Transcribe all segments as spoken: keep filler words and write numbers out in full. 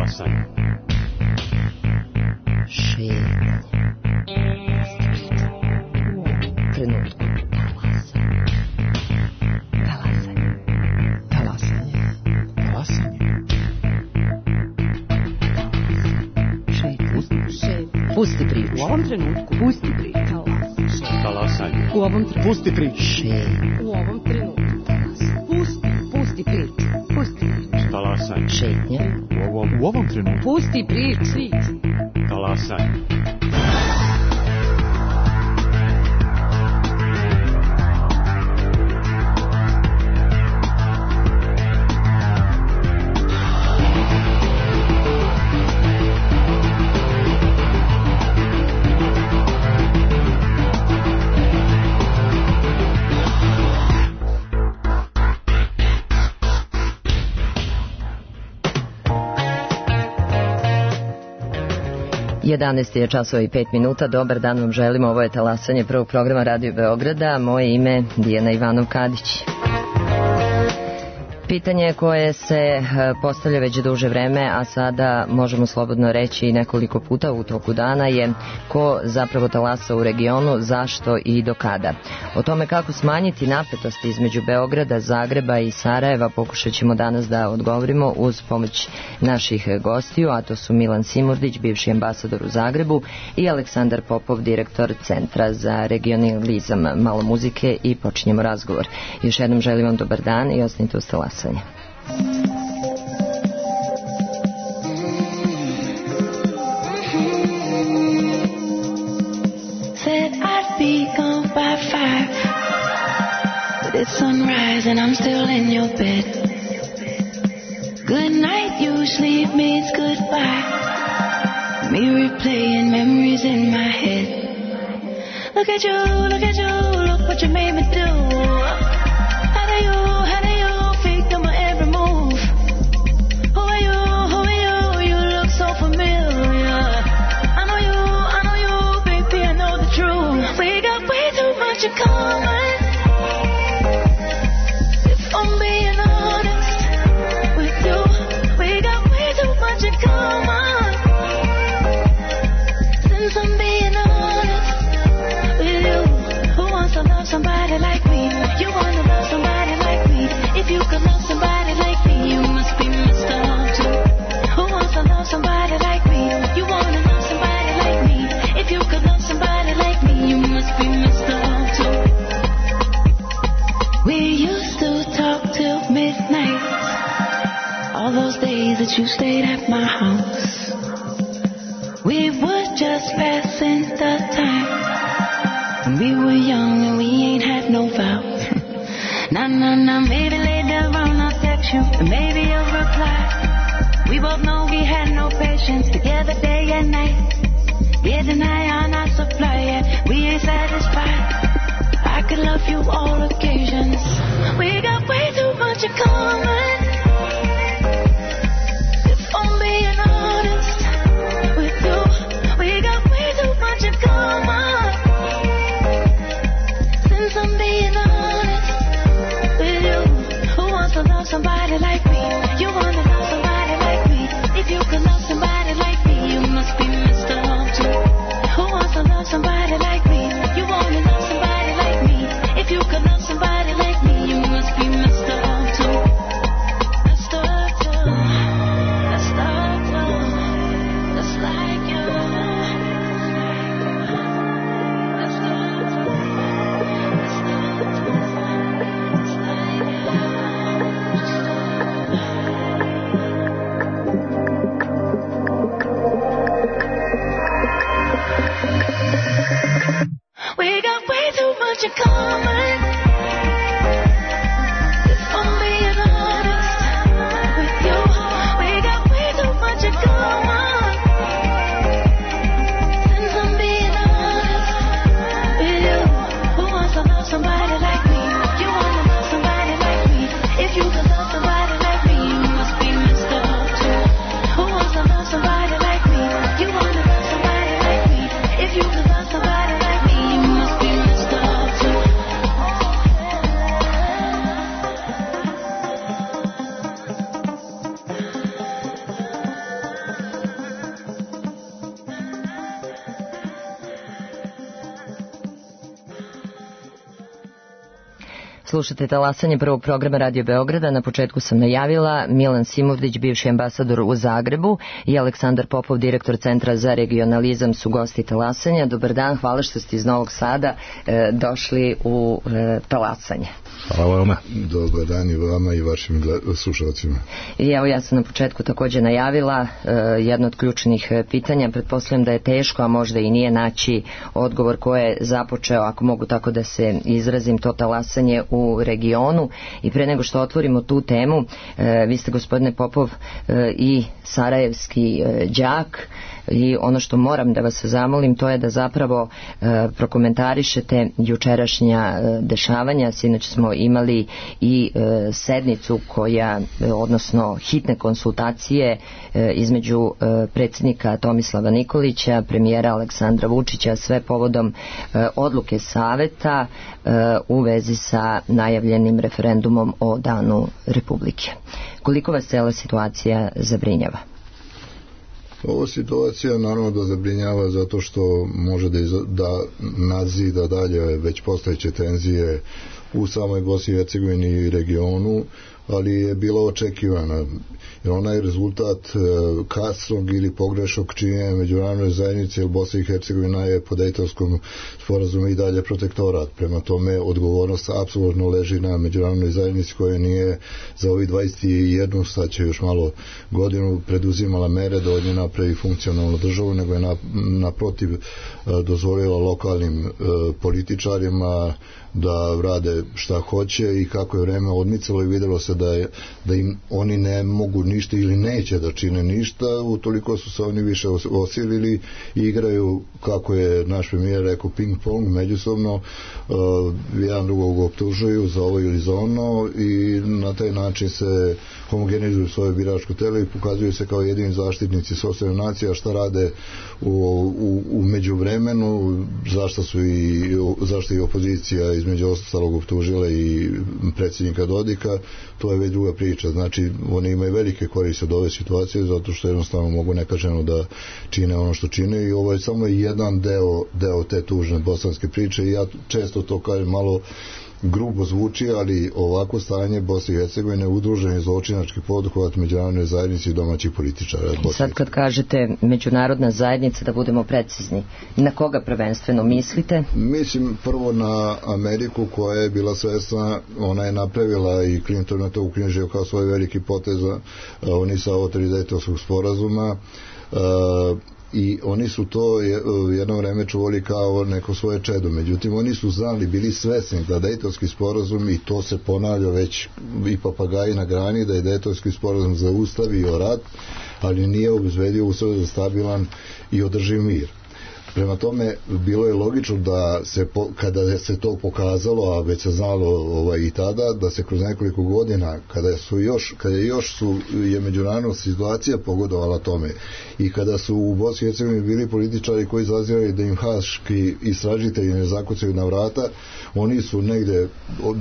Talasanje. Šetnja. Trenutku. Talasanje. Talasanje. Talasanje. Šetnja. Pusti priču. U ovom trenutku. Pusti priču. Talasanje. U ovom trenutku. Pusti priču. Šetnja. U ovom trenutku. Pusti, pusti priču. Pusti priču. Talasanje. Šetnja. U ovom, U ovom trenutku. Pusti priču. talasanje. jedanaest je časova i pet minuta. Dobar dan vam želimo. Ovo je talasanje prvog programa Radio Beograda. Moje ime Dijana Ivanov-Kadić. Pitanje koje se postavlja već duže vreme, a sada možemo slobodno reći nekoliko puta u toku dana, je ko zapravo talasa u regionu, zašto i do kada. O tome kako smanjiti napetosti između Beograda, Zagreba i Sarajeva pokušat ćemo danas da odgovorimo uz pomoć naših gostiju, a to su Milan Simurdić, bivši ambasador u Zagrebu, i Aleksandar Popov, direktor Centra za regionalizam. Malo muzike i počinjemo razgovor. Još jednom želim vam dobar dan i ostanite uz talasanje. Said I'd be gone by five, but it's sunrise and I'm still in your bed. Good night usually means goodbye. Me replaying memories in my head. Look at you, look at you, look what you made me do. How do you, how do you fake them every move? Who are you, who are you, you look so familiar. I know you, I know you, baby, I know the truth. We got way too much in common. If I'm being honest with you, we got way too much in common. Since I'm being honest with you, who wants to love somebody like me? You want to love somebody like me? If you could love somebody like me, you must be Mister Love too. Who wants to love somebody like me? You want to love somebody like me? If you could love somebody like me, you must be Mister Love too. We used to talk till midnight, all those days that you stayed at my house. We were just passing the time when we were young and we ain't had no vows. Nah, nah, nah, maybe later on I'll text you, and maybe you'll reply. We both know we had no patience together day and night. Yeah, deny on our supply, yeah, we ain't satisfied. I could love you all occasions. We got way too much in common. If I'm being honest with you, we got way too much in common. Since I'm being honest with you, who wants to love somebody like me? You want to love somebody like me? If you could love somebody like me, you must be Mister Love too. Who wants to love somebody like me? You want to love somebody like me? If you could love somebody like me, you must be Mister Love too. Slušate talasanje prvog programa Radio Beograda. Na početku sam najavila Milan Simovdić, bivši ambasador u Zagrebu, i Aleksandar Popov, direktor Centra za regionalizam, su gosti talasanja. Dobar dan, hvala što ste iz Novog Sada e, došli u e, talasanje. Hvala vama. Dobar dan i vama i vašim slušalcima. I evo, ja sam na početku također najavila e, jedno od ključnih pitanja. Pretpostavljam da je teško, a možda i nije, naći odgovor ko je započeo, ako mogu tako da se izrazim, to talasanje u regionu. I pre nego što otvorimo tu temu, e, vi ste, gospodine Popov, e, i sarajevski e, đak, i ono što moram da vas zamolim, to je da zapravo e, prokomentarišete jučerašnja e, dešavanja. Sinoć smo imali i e, sednicu koja, e, odnosno hitne konsultacije e, između e, predsjednika Tomislava Nikolića, premijera Aleksandra Vučića, sve povodom e, odluke Saveta e, u vezi sa najavljenim referendumom o Danu Republike. Koliko vas cela situacija zabrinjava? Ova situacija naravno da zabrinjava zato što može da, iz, da nadzida dalje već postojeće tenzije u samoj Bosni i Hercegovini i regionu, ali je bila očekivana. Jer ona je rezultat e, kasnog ili pogrešnog činjenja međunarodne zajednice, jer Bosna i Hercegovina je po Dejtonskom sporazumu i dalje protektorat. Prema tome, odgovornost apsolutno leži na međunarodnoj zajednici koja nije za ovih dvadeset jedan, sad će još malo godinu, preduzimala mere da od nje napravi funkcionalnu državu, nego je naprotiv e, dozvolila lokalnim e, političarima da rade šta hoće, i kako je vreme odmicalo i vidjelo se da, je, da im oni ne mogu ništa ili neće da čine ništa, utoliko su se oni više osilili i igraju, kako je naš premijer rekao, ping pong međusobno, uh, jedan drugog optužuju za ovo ili za ono, i na taj način se homogenizuju svoje biračko telo i pokazuju se kao jedini zaštitnici sopstvene nacije. A šta rade u, u, u međuvremenu, zašto su i zašto i opozicija između ostalog optužila i predsjednika Dodika, to je već druga priča. Znači, oni imaju velike koriste od ove situacije, zato što jednostavno mogu nekažnjeno da čine ono što čine, i ovo je samo jedan deo, deo te tužne bosanske priče. I ja često to kažem, malo grubo zvuči, ali ovako stanje Bosne i Hercegovine, udruženi zločinački poduhvat međunarodne zajednice i domaćih političara. Sad kad kažete međunarodna zajednica, da budemo precizni, na koga prvenstveno mislite? Mislim prvo na Ameriku, koja je bila svesna, ona je napravila, i Clinton na to uknjižio kao svoj veliki potez, oni sa ovo Dejtonskog sporazuma, uh, i oni su to jedno vreme čuvali kao neko svoje čedo. Međutim, oni su znali, bili svesni da Dejtonski sporazum, i to se ponavlja već i papagaji na grani, da je Dejtonski sporazum zaustavio rat, ali nije obezbedio uslove za stabilan i održiv mir. Prema tome, bilo je logično da se, kada se to pokazalo, a već se znalo ovaj, i tada, da se kroz nekoliko godina, kada su još, kada još su, je međunarodna situacija pogodovala tome, i kada su u Bosni i Hercegovini bili političari koji zazirali da im haški istražitelji ne zakucaju na vrata, oni su negde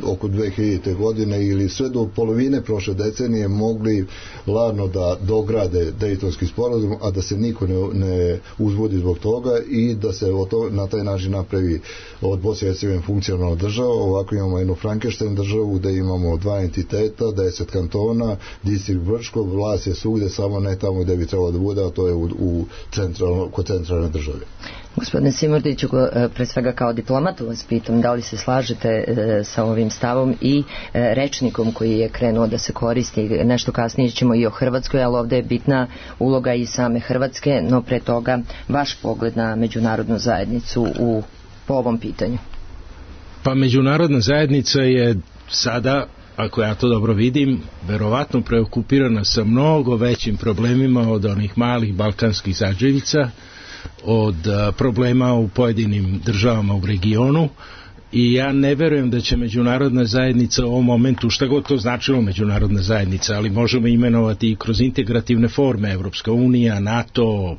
oko dve hiljadite godine ili sve do polovine prošle decenije mogli ladno da dograde Dejtonski sporazum, a da se niko ne, ne uzbudi zbog toga, i da se to, na taj način napravi od Bosne i Hercegovine funkcionalna država. Ovako imamo jednu Frankenstein državu gde imamo dva entiteta, deset kantona, distrikt Brčko, vlast je svugde, samo ne tamo gde bi trebalo da bude, a to je u, u centralno, kod centralne države. Gospodine Simordiću, pre svega kao diplomatu vas pitam, da li se slažete e, sa ovim stavom i e, rečnikom koji je krenuo da se koristi, nešto kasnije ćemo i o Hrvatskoj, ali ovdje je bitna uloga i same Hrvatske, no pre toga vaš pogled na međunarodnu zajednicu u, po ovom pitanju. Pa međunarodna zajednica je sada, ako ja to dobro vidim, verovatno preokupirana sa mnogo većim problemima od onih malih balkanskih zađevica, od problema u pojedinim državama u regionu, i ja ne verujem da će međunarodna zajednica u ovom momentu, šta god to značilo međunarodna zajednica, ali možemo imenovati i kroz integrativne forme, Evropska unija, NATO,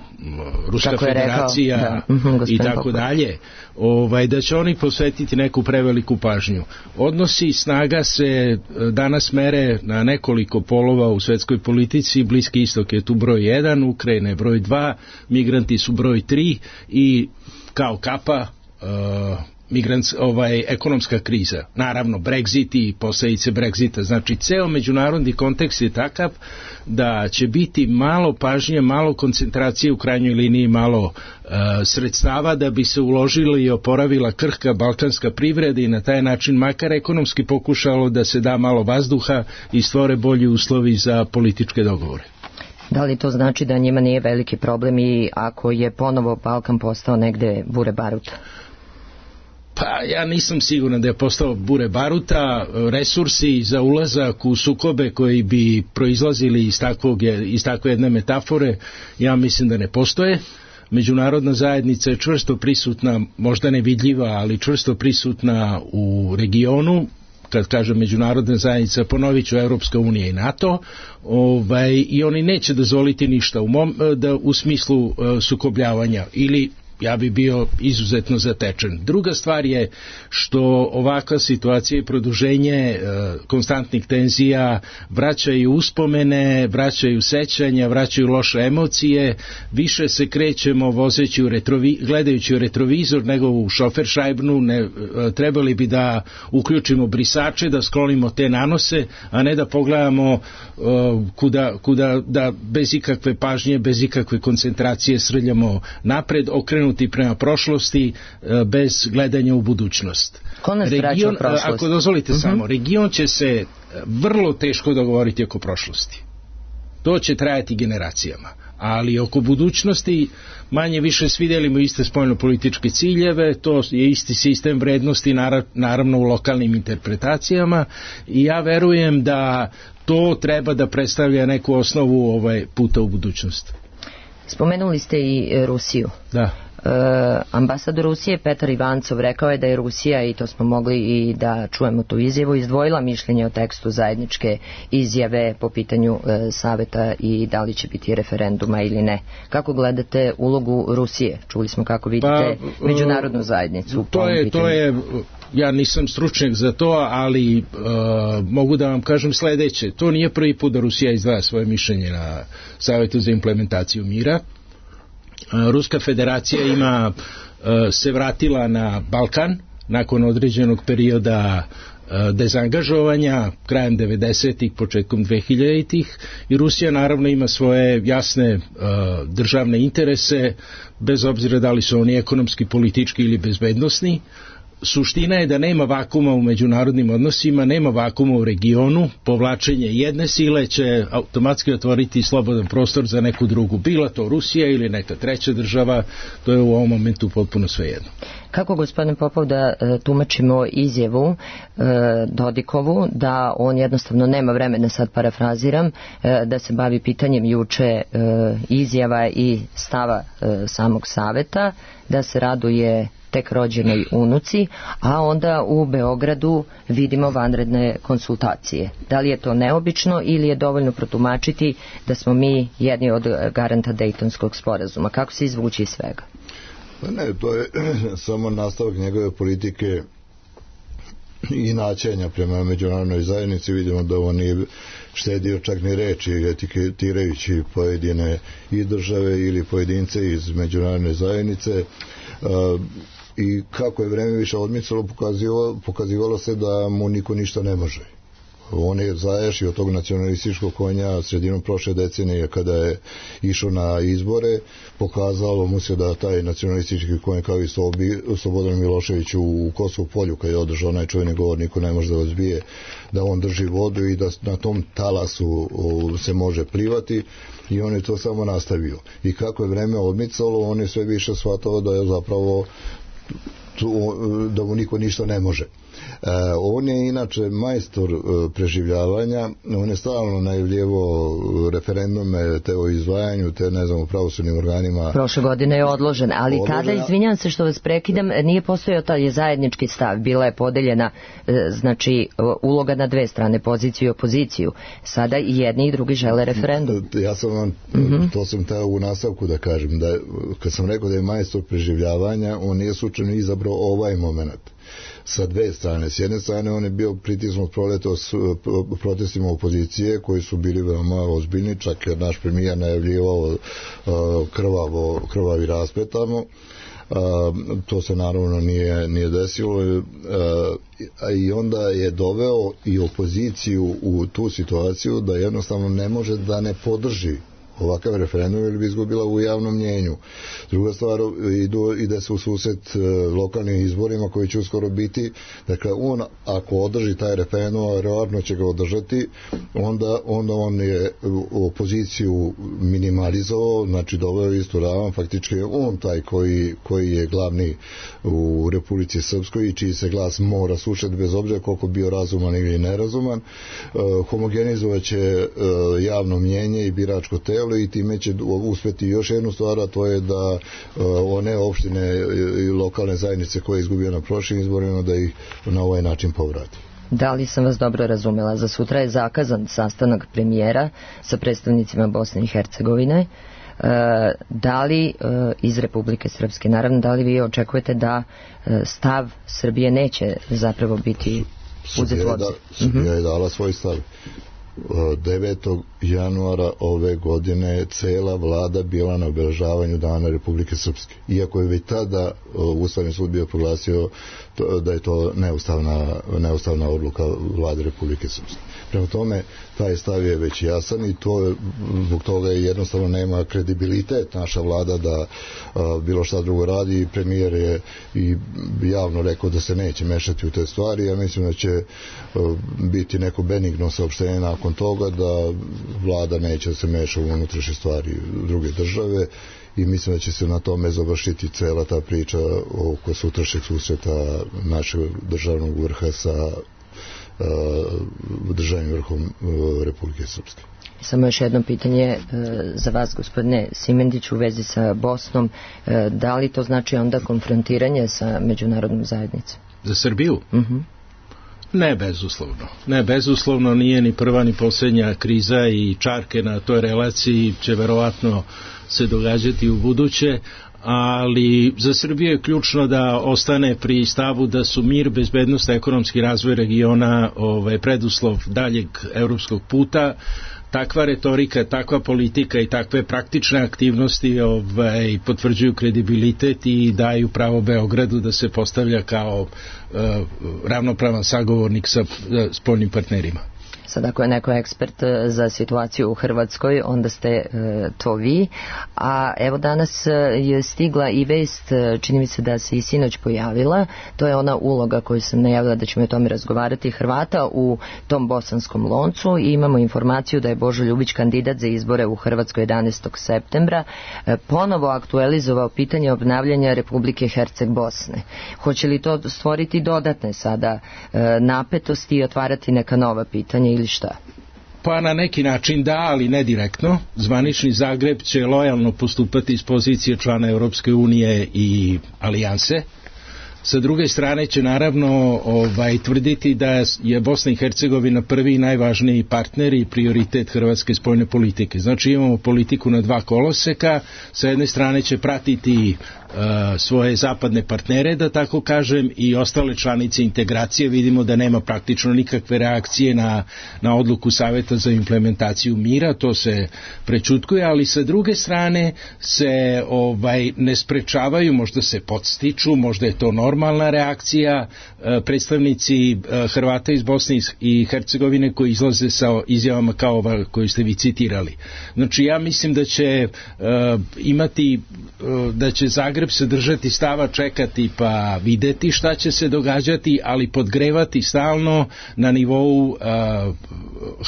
Ruska federacija i tako dalje, ovaj, da će oni posvetiti neku preveliku pažnju. Odnosi snaga se danas mere na nekoliko polova u svetskoj politici. Bliski istok je tu broj jedan, Ukrajina je broj dva, migranti su broj tri, i kao kapa uh, migrants, ovaj, ekonomska kriza, naravno Brexit i posljedice Brexita, znači ceo međunarodni kontekst je takav da će biti malo pažnje, malo koncentracije, u krajnjoj liniji malo uh, sredstava da bi se uložili i oporavila krhka balkanska privreda i na taj način makar ekonomski pokušalo da se da malo vazduha i stvore bolji uslovi za političke dogovore. Da li to znači da njima nije veliki problem i ako je ponovo Balkan postao negde bure baruta? Pa ja nisam siguran da je postao bure baruta. Resursi za ulazak u sukobe koji bi proizlazili iz, takvog, iz takve jedne metafore, ja mislim da ne postoje. Međunarodna zajednica je čvrsto prisutna, možda nevidljiva, ali čvrsto prisutna u regionu. Kad kažem međunarodna zajednica, ponovit ću Europska unija i NATO, ovaj, i oni neće dozvoliti ništa u, mom, da, u smislu uh, sukobljavanja ili ja bi bio izuzetno zatečen. Druga stvar je što ovakva situacija i produženje e, konstantnih tenzija vraćaju uspomene, vraćaju sećanja, vraćaju loše emocije, više se krećemo vozeći u retrovi, gledajući u retrovizor nego u šoferšajbnu, ne, e, trebali bi da uključimo brisače, da sklonimo te nanose, a ne da pogledamo e, kuda, kuda da bez ikakve pažnje, bez ikakve koncentracije srljamo napred, okrenuti prema prošlosti bez gledanja u budućnost. Ko nas vraća u prošlost? Ako dozvolite uh-huh. samo, region će se vrlo teško dogovoriti oko prošlosti. To će trajati generacijama. Ali oko budućnosti manje više svi delimo iste spoljno-političke ciljeve, to je isti sistem vrednosti, naravno u lokalnim interpretacijama, i ja verujem da to treba da predstavlja neku osnovu ovaj puta u budućnost. Spomenuli ste i Rusiju. Da. E, ambasador Rusije Petar Ivancov rekao je da je Rusija, i to smo mogli i da čujemo tu izjavu, izdvojila mišljenje o tekstu zajedničke izjave po pitanju e, saveta i da li će biti referenduma ili ne. Kako gledate ulogu Rusije? Čuli smo kako vidite pa, međunarodnu zajednicu. To je, to je, ja nisam stručnjak za to, ali e, mogu da vam kažem sledeće. To nije prvi put da Rusija izdvaja svoje mišljenje na Savetu za implementaciju mira. Ruska federacija ima se vratila na Balkan nakon određenog perioda dezangažovanja krajem devedesetih, početkom dvehiljaditih, i Rusija naravno ima svoje jasne državne interese, bez obzira da li su oni ekonomski, politički ili bezbednosni. Suština je da nema vakuma u međunarodnim odnosima, nema vakuma u regionu, povlačenje jedne sile će automatski otvoriti slobodan prostor za neku drugu, bila to Rusija ili neka treća država, to je u ovom momentu potpuno svejedno. Kako, gospodine Popov, da e, tumačimo izjavu e, Dodikovu da on jednostavno nema vremena, sad parafraziram, e, da se bavi pitanjem juče e, izjava i stava e, samog saveta, da se raduje tek rođenoj unuci, a onda u Beogradu vidimo vanredne konsultacije. Da li je to neobično ili je dovoljno protumačiti da smo mi jedni od garanta Dejtonskog sporazuma? Kako se izvući iz svega? Pa ne, to je samo nastavak njegove politike i načenja prema međunarodnoj zajednici. Vidimo da on nije štedio čak ni reči etiketirajući pojedine i države ili pojedince iz međunarodne zajednice. Uh, i kako je vreme više odmicalo, pokazivalo, pokazivalo se da mu niko ništa ne može. On je zajašio tog nacionalističkog konja sredinom prošle decenije kada je išao na izbore, pokazalo mu se da taj nacionalistički konj, kao i Slobodan Milošević u Kosovu polju kad je održao onaj čuveni govor niko ne može da vas bije, da on drži vodu i da na tom talasu se može plivati, i on je to samo nastavio. I kako je vreme odmicalo, on je sve više shvatao da je zapravo da mu niko ništa ne može. E, on je inače majstor e, preživljavanja, on je stalno najavljivo referendume te o izdvajanju, te ne znam, u pravosudnim organima. Prošle godine je odložen, ali odložena. Tada, izvinjam se što vas prekidam, nije postojao taj zajednički stav, bila je podeljena e, znači uloga na dve strane, poziciju i opoziciju. Sada i jedni i drugi žele referendum. Ja sam vam, mm-hmm. to sam teo u nastavku da kažem, da kad sam rekao da je majstor preživljavanja, on nije slučajno izabrao ovaj moment. Sa dve strane. S jedne strane on je bio pritisnut proleto s protestima opozicije koji su bili veoma ozbiljni, čak je naš premijer najavljivao krvavo, krvavi raspet tamo, to se naravno nije, nije desilo, a i onda je doveo i opoziciju u tu situaciju da jednostavno ne može da ne podrži ovakav referendum ili bi izgubila u javnom mnjenju. Druga stvar, idu, ide se u susret lokalnim izborima koji će uskoro biti. Dakle, on ako održi taj referendum, a verovatno će ga održati, onda, onda on je opoziciju minimalizovao, znači doveo istu ravan, faktički je on taj koji, koji je glavni u Republici Srpskoj i čiji se glas mora slušati bez obzira koliko bio razuman ili nerazuman. Homogenizovat će javno mnjenje i biračko telo i time će uspeti još jednu stvar, a to je da one opštine i lokalne zajednice koje je izgubio na prošlim izborima da ih na ovaj način povrati. Da li sam vas dobro razumela? Za sutra je zakazan sastanak premijera sa predstavnicima Bosne i Hercegovine. Da li iz Republike Srpske, naravno, da li vi očekujete da stav Srbije neće zapravo biti uzet u obzir? Srbija je dala svoj stav. devetog januara ove godine je cela vlada bila na obeležavanju Dana Republike Srpske. Iako je već tada Ustavni sud bio proglasio da je to neustavna, neustavna odluka vlade Republike Srpske. Prema tome, taj stav je već jasan i to zbog toga jednostavno nema kredibilitet naša vlada da a, bilo šta drugo radi i premijer je i javno rekao da se neće mešati u te stvari. Ja mislim da će a, biti neko benigno saopštenje nakon toga da vlada neće da se meša u unutrašnje stvari druge države i mislim da će se na tome završiti cela ta priča oko sutrašnjeg susreta našeg državnog vrha sa državnim vrhom Republike Srpske. Samo još jedno pitanje za vas, gospodine Simendić, u vezi sa Bosnom. Da li to znači onda konfrontiranje sa međunarodnom zajednicom? Za Srbiju? Uh-huh. Ne bezuslovno. Ne bezuslovno, nije ni prva ni posljednja kriza i čarke na toj relaciji će verovatno se događati u buduće, ali za Srbiju je ključno da ostane pri stavu da su mir, bezbednost, ekonomski razvoj regiona ovaj, preduslov daljeg evropskog puta. Takva retorika, takva politika i takve praktične aktivnosti ovaj, potvrđuju kredibilitet i daju pravo Beogradu da se postavlja kao uh, ravnopravan sagovornik sa uh, spoljnim partnerima. Sad ako je neko ekspert za situaciju u Hrvatskoj, onda ste e, to vi. A evo danas je stigla i vest, čini mi se da se i sinoć pojavila, to je ona uloga koju sam najavila da ćemo o tome razgovarati, Hrvata u tom bosanskom loncu i imamo informaciju da je Božo Ljubić kandidat za izbore u Hrvatskoj jedanaestog septembra e, ponovo aktualizovao pitanje obnavljanja Republike Herceg-Bosne. Hoće li to stvoriti dodatne sada e, napetosti i otvarati neka nova pitanja ili šta? Pa na neki način da, ali ne direktno. Zvanični Zagreb će lojalno postupati iz pozicije člana Europske unije i alijanse. Sa druge strane će naravno ovaj, tvrditi da je Bosna i Hercegovina prvi i najvažniji partner i prioritet hrvatske spoljne politike. Znači imamo politiku na dva koloseka, sa jedne strane će pratiti uh, svoje zapadne partnere, da tako kažem, i ostale članice integracije. Vidimo da nema praktično nikakve reakcije na, na odluku Saveta za implementaciju mira, to se prečutkuje, ali sa druge strane se ovaj, ne sprečavaju, možda se podstiču, možda je to normalno, normalna reakcija predstavnici Hrvata iz Bosne i Hercegovine koji izlaze sa izjavama kao ova koju ste vi citirali. Znači ja mislim da će imati, da će Zagreb se držati stava, čekati pa videti šta će se događati, ali podgrevati stalno na nivou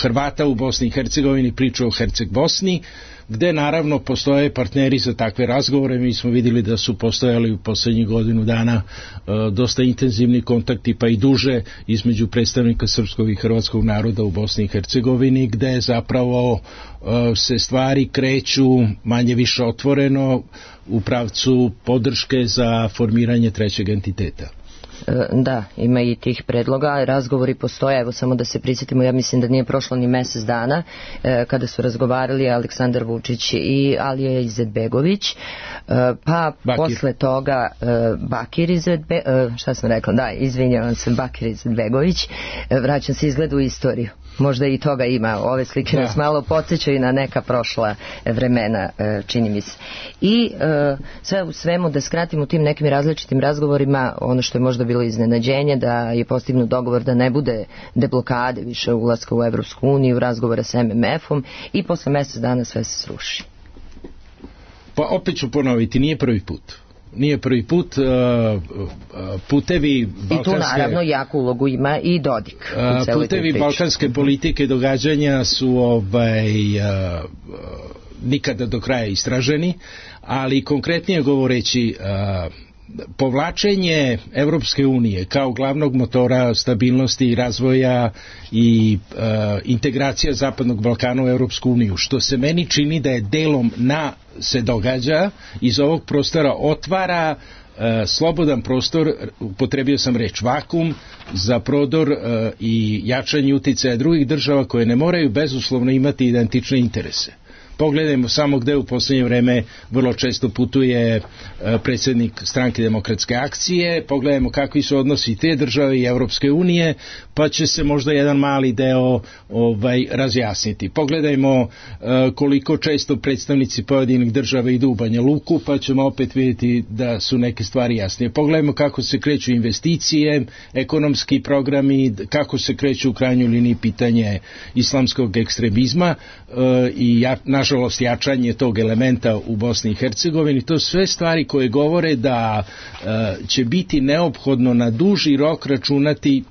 Hrvata u Bosni i Hercegovini priču o Herceg-Bosni, gde naravno postoje partneri za takve razgovore. Mi smo vidjeli da su postojali u poslednjih godinu dana e, dosta intenzivni kontakti, pa i duže, između predstavnika srpskog i hrvatskog naroda u Bosni i Hercegovini, gde zapravo e, se stvari kreću manje više otvoreno u pravcu podrške za formiranje trećeg entiteta. Da, ima i tih predloga, razgovori postoje, evo samo da se prisjetimo, ja mislim da nije prošlo ni mjesec dana eh, kada su razgovarali Aleksandar Vučić i Alija Izetbegović, eh, pa Bakir. Posle toga eh, Bakir Izetbegović, eh, šta sam rekla, da, izvinjavam se, Bakir Izetbegović, eh, vraćam se izgled u istoriju. Možda i toga ima. Ove slike da. nas malo podsjećaju na neka prošla vremena, čini mi se. I sve u svemu, da skratimo u tim nekim različitim razgovorima, ono što je možda bilo iznenađenje, da je postignut dogovor da ne bude deblokade više ulaska u Evropsku uniju, razgovora sa em em efom i posle mjesec dana sve se sruši. Pa opet ću ponoviti, nije prvi put. Nije prvi put, uh, putevi balkanske... I tu naravno jaku ulogu ima i Dodik. Uh, putevi balkanske politike događanja su ovaj, uh, nikada do kraja istraženi, ali konkretnije govoreći, uh, povlačenje Evropske unije kao glavnog motora stabilnosti i razvoja i uh, integracija Zapadnog Balkana u Evropsku uniju, što se meni čini da je delom na se događa, iz ovog prostora otvara uh, slobodan prostor, upotrebio sam reč vakum, za prodor uh, i jačanje uticaja drugih država koje ne moraju bezuslovno imati identične interese. Pogledajmo samo gde u posljednje vreme vrlo često putuje predsjednik Stranke demokratske akcije, pogledajmo kakvi su odnosi te države i Evropske unije, pa će se možda jedan mali deo ovaj, razjasniti. Pogledajmo koliko često predstavnici pojedinih država idu u Banja Luku, pa ćemo opet vidjeti da su neke stvari jasnije. Pogledajmo kako se kreću investicije, ekonomski programi, kako se kreću u krajnjoj liniji pitanje islamskog ekstremizma i ja, nažalost jačanje tog elementa u Bosni i Hercegovini. To sve stvari koje govore da uh, će biti neophodno na duži rok računati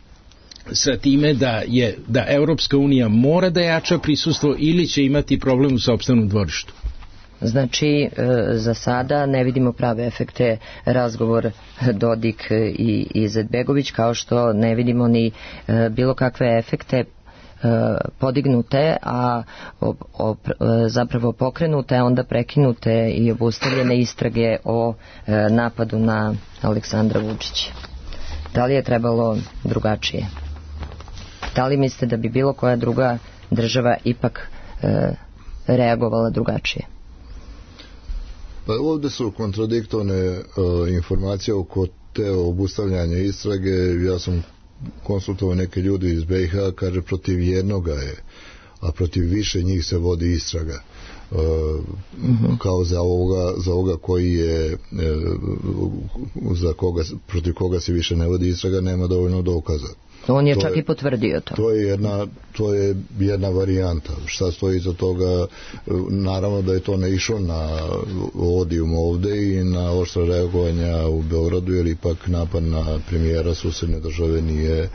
sa time da je da Evropska unija mora da jača prisustvo ili će imati problem u sopstvenom dvorištu. Znači, za sada ne vidimo prave efekte razgovor Dodik i Izetbegović, kao što ne vidimo ni bilo kakve efekte podignute, a op, op, zapravo pokrenute, onda prekinute i obustavljene istrage o e, napadu na Aleksandra Vučića. Da li je trebalo drugačije? Da li mislite da bi bilo koja druga država ipak e, reagovala drugačije? Pa ovdje su kontradiktorne e, informacije oko te obustavljanja istrage. Ja sam konsultovao neke ljudi iz be i ha, kaže protiv jednoga je, a protiv više njih se vodi istraga. Uh, uh-huh. Kao za ovoga, za ovoga koji je uh, za koga, protiv koga se više ne vodi istraga, nema dovoljno dokaza. On je to čak je, i potvrdio to. To je jedna, to je jedna varijanta. Šta stoji iza toga? Naravno da je to ne išlo na odijum ovde i na oštra reagovanja u Beogradu, jer ipak napad na premijera susedne države nije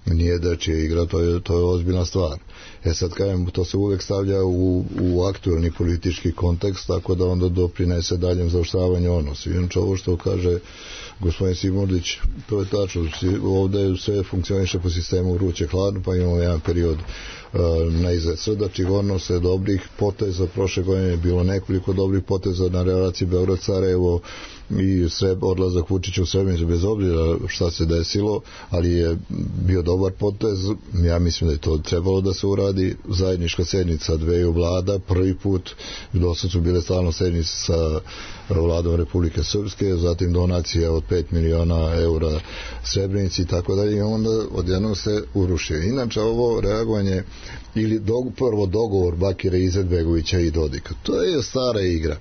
nije dečija igra, to je, to je ozbiljna stvar. E sad kažem, to se uvek stavlja u, u aktualni politički kontekst, tako da onda doprinese daljem zaoštravanju odnosa. Inače ovo što kaže gospodin Simordić, to je tačno, ovde sve funkcioniše po sistemu vruće hladno, pa imamo jedan period uh, na izgled srdačih odnosa, dobrih poteza. Prošle godine je bilo nekoliko dobrih poteza na relaciji Beograd-Sarajevo i sve, odlazak Vučića u Srebrenicu, bez obzira šta se desilo, ali je bio dobar potez. Ja mislim da je to trebalo da se uradi. Zajednička sednica dveju vlada, prvi put, do sad su bile stalno sednice sa vladom Republike Srpske, zatim donacija od pet miliona eura Srebrenici i tako dalje, i onda odjednom se urušio. Inače ovo reagovanje ili do, prvo dogovor Bakira Izetbegovića i Dodika, to je stara igra.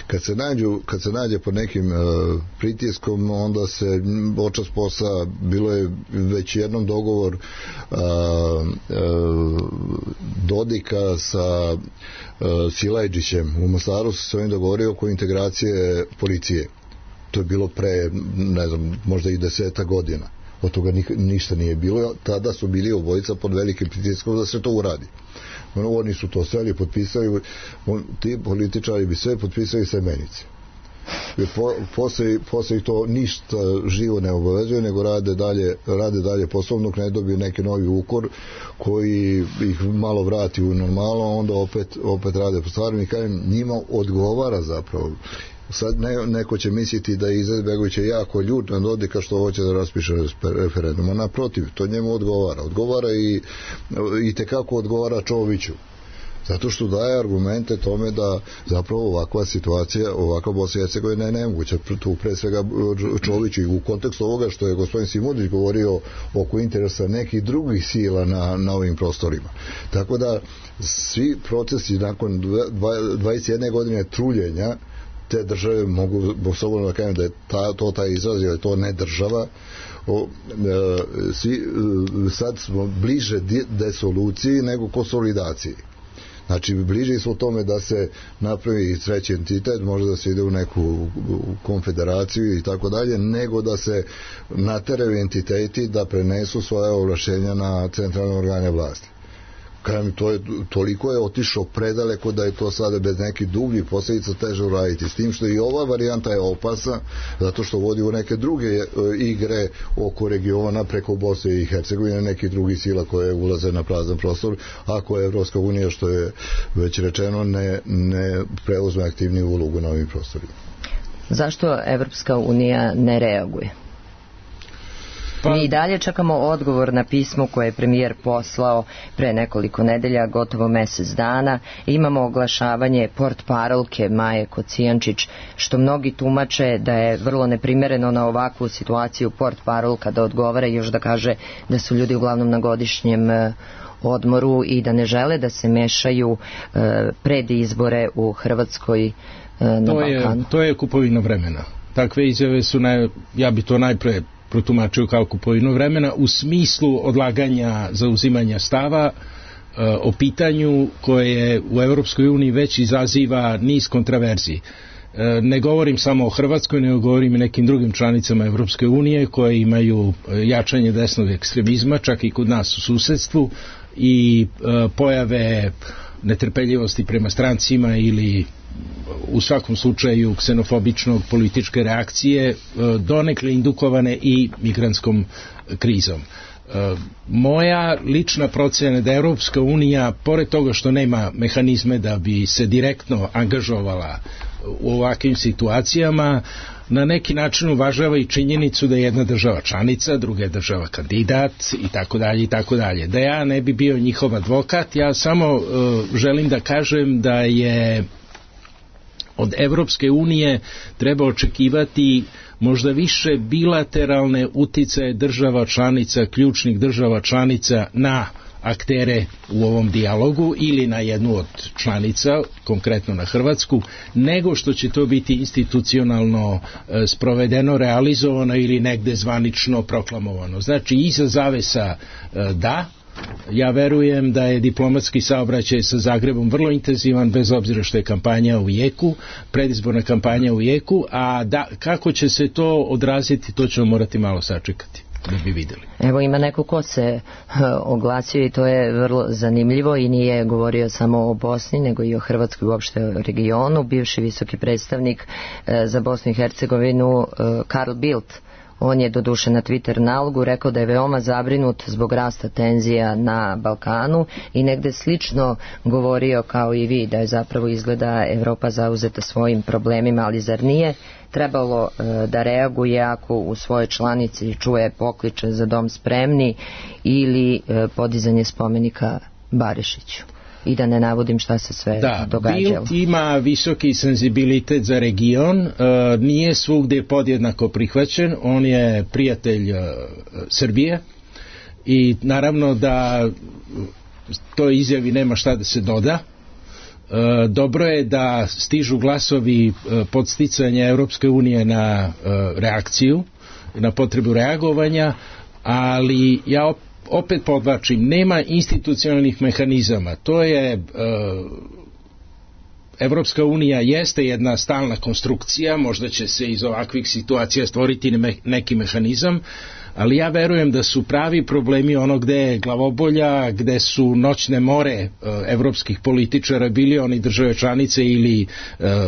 Kad se nađu, kad se nađe pod nekim uh, pritiskom, onda se očas posla, bilo je već jednom dogovor uh, uh, Dodika sa uh, Silajđićem u Mostaru, se ovim dogovorio oko integracije policije. To je bilo pre, ne znam, možda i deseta godina. Od toga ni, ništa nije bilo. Tada su bili obojica pod velikim pritiskom da se to uradi. Oni su to sve potpisali, on, ti političari bi sve potpisali semenice. Po, posle, posle ih to ništa živo ne obavezuje, nego rade dalje, rade dalje poslovno, ne dobiju neki novi ukor koji ih malo vrati u normalno, onda opet, opet rade po stvarima i kažem, njima odgovara zapravo. Sad ne, neko će misliti da je Izetbegović jako ljut na Dodika što hoće da raspiše referendum, a naprotiv, to njemu odgovara. Odgovara i, i tekako odgovara Čoviću. Zato što daje argumente tome da zapravo ovakva situacija, ovakva Bosna i Hercegovina je nemoguća. Tu pre svega Čović i u kontekstu ovoga što je gospodin Simudić govorio oko interesa nekih drugih sila na, na ovim prostorima. Tako da svi procesi nakon dvadeset jedne godine truljenja te države, mogu slobodno da kažem da je ta, to taj izraz, jer je to ne država, o, e, svi, e, sad smo bliže desoluciji nego konsolidaciji. Znači, bliži su tome da se napravi treći entitet, može da se ide u neku konfederaciju i tako dalje, nego da se nateraju entiteti da prenesu svoje ovlašćenja na centralne organe vlasti. Kažem, to je, toliko je otišao predaleko da je to sada bez nekih dubljih posljedica teže uraditi. S tim što i ova varijanta je opasna, zato što vodi u neke druge igre oko regiona preko Bosne i Hercegovine, nekih drugih sila koje ulaze na prazan prostor, ako je Evropska unija, što je već rečeno, ne, ne preuzme aktivniju ulogu na ovim prostorima. Zašto Evropska unija ne reaguje? Pa... Mi i dalje čekamo odgovor na pismo koje je premijer poslao pre nekoliko nedelja, gotovo mesec dana. Imamo oglašavanje portparolke Maje Kocijančić, što mnogi tumače da je vrlo neprimereno na ovakvu situaciju portparolka da odgovara i još da kaže da su ljudi uglavnom na godišnjem odmoru i da ne žele da se mešaju pred izbore u Hrvatskoj na to Balkanu. Je, to je kupovina vremena. Takve izjave su, naj, ja bi to najpre protumačio kao kupovinu vremena u smislu odlaganja zauzimanja stava e, o pitanju koje u Europskoj uniji već izaziva niz kontraverziji. E, ne govorim samo o Hrvatskoj, nego govorim i nekim drugim članicama Europske unije koje imaju jačanje desnog ekstremizma, čak i kod nas u susedstvu, i e, pojave netrpeljivosti prema strancima ili u svakom slučaju ksenofobičnog političke reakcije, donekle indukovane i migrantskom krizom. Moja lična procena je da Evropska unija, pored toga što nema mehanizme da bi se direktno angažovala u ovakvim situacijama, na neki način uvažava i činjenicu da je jedna država članica, druga je država kandidat i tako dalje i tako dalje. Da ja ne bi bio njihov advokat, ja samo uh, želim da kažem da je od Evropske unije treba očekivati možda više bilateralne uticaje država članica, ključnih država članica na aktere u ovom dijalogu ili na jednu od članica, konkretno na Hrvatsku, nego što će to biti institucionalno e, sprovedeno, realizovano ili negde zvanično proklamovano. Znači, iza zavesa e, da, ja verujem da je diplomatski saobraćaj sa Zagrebom vrlo intenzivan, bez obzira što je kampanja u jeku, predizborna kampanja u jeku, a da, kako će se to odraziti, to ćemo morati malo sačekati da bi videli. Evo, ima neko ko se oglasio i to je vrlo zanimljivo i nije govorio samo o Bosni, nego i o Hrvatskoj, uopšte o regionu. Bivši visoki predstavnik za Bosnu i Hercegovinu Carl Bildt, on je doduše na Twitter nalogu rekao da je veoma zabrinut zbog rasta tenzija na Balkanu i negde slično govorio kao i vi, da je zapravo izgleda Evropa zauzeta svojim problemima, ali zar nije trebalo e, da reaguje ako u svojoj članici čuje pokliče za dom spremni ili e, podizanje spomenika Barišiću? I da ne navodim šta se sve da, događalo. Da, Bildt ima visoki senzibilitet za region, e, nije svugdje podjednako prihvaćen, on je prijatelj e, Srbije i naravno da to izjavi nema šta da se doda. E, dobro je da stižu glasovi e, podsticanja Europske unije na e, reakciju, na potrebu reagovanja, ali ja opet opet podvlačim, nema institucionalnih mehanizama. To je e, Evropska unija jeste jedna stalna konstrukcija, možda će se iz ovakvih situacija stvoriti neki mehanizam, ali ja verujem da su pravi problemi ono gde je glavobolja, gde su noćne more e, evropskih političara, bili oni države članice ili e,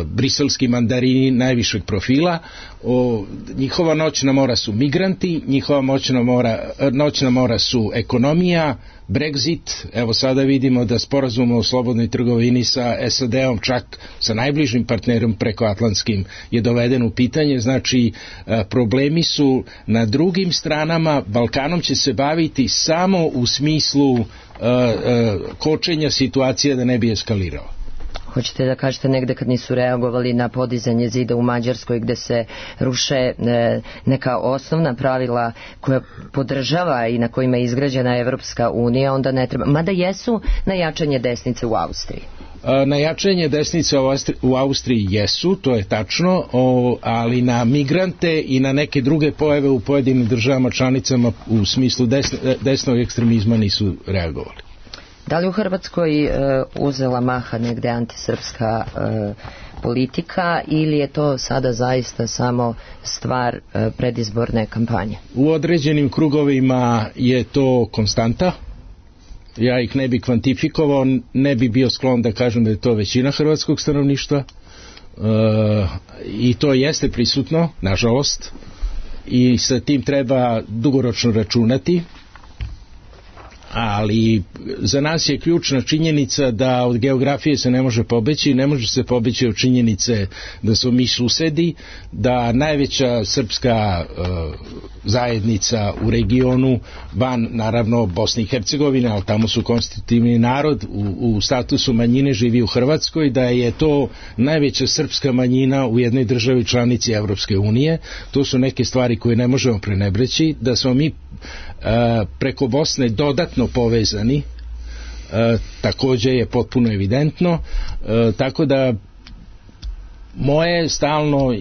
briselski mandarini najvišeg profila. O, njihova noćna mora su migranti, njihova noćna mora, noćna mora su ekonomija, Brexit, evo sada vidimo da sporazum o slobodnoj trgovini sa S A D-om, čak sa najbližim partnerom prekoatlantskim, je doveden u pitanje. Znači, problemi su na drugim stranama stranama, Balkanom će se baviti samo u smislu uh, uh, kočenja situacije da ne bi eskalirao. Hoćete da kažete negde kad nisu reagovali na podizanje zida u Mađarskoj gde se ruše e, neka osnovna pravila koja podržava i na kojima je izgrađena Evropska unija, onda ne treba, mada jesu na jačanje desnice u Austriji. Na jačanje desnice u Austriji jesu, to je tačno, o, ali na migrante i na neke druge pojave u pojedinim državama članicama u smislu desne, desnog ekstremizma nisu reagovali. Da li u Hrvatskoj e, uzela maha negde antisrpska e, politika ili je to sada zaista samo stvar e, predizborne kampanje? U određenim krugovima je to konstanta. Ja ih ne bi kvantifikovao, ne bi bio sklon da kažem da je to većina hrvatskog stanovništva. E, I to jeste prisutno, nažalost. I sa tim treba dugoročno računati. Ali za nas je ključna činjenica da od geografije se ne može pobeći, ne može se pobeći od činjenice da smo mi susedi, da najveća srpska uh, zajednica u regionu, van naravno Bosne i Hercegovine, ali tamo su konstitutivni narod, u, u statusu manjine živi u Hrvatskoj, da je to najveća srpska manjina u jednoj državi članici Evropske unije. To su neke stvari koje ne možemo prenebreći, da smo mi uh, preko Bosne dodatno povezani, e, takođe je potpuno evidentno, e, tako da moje stalno e,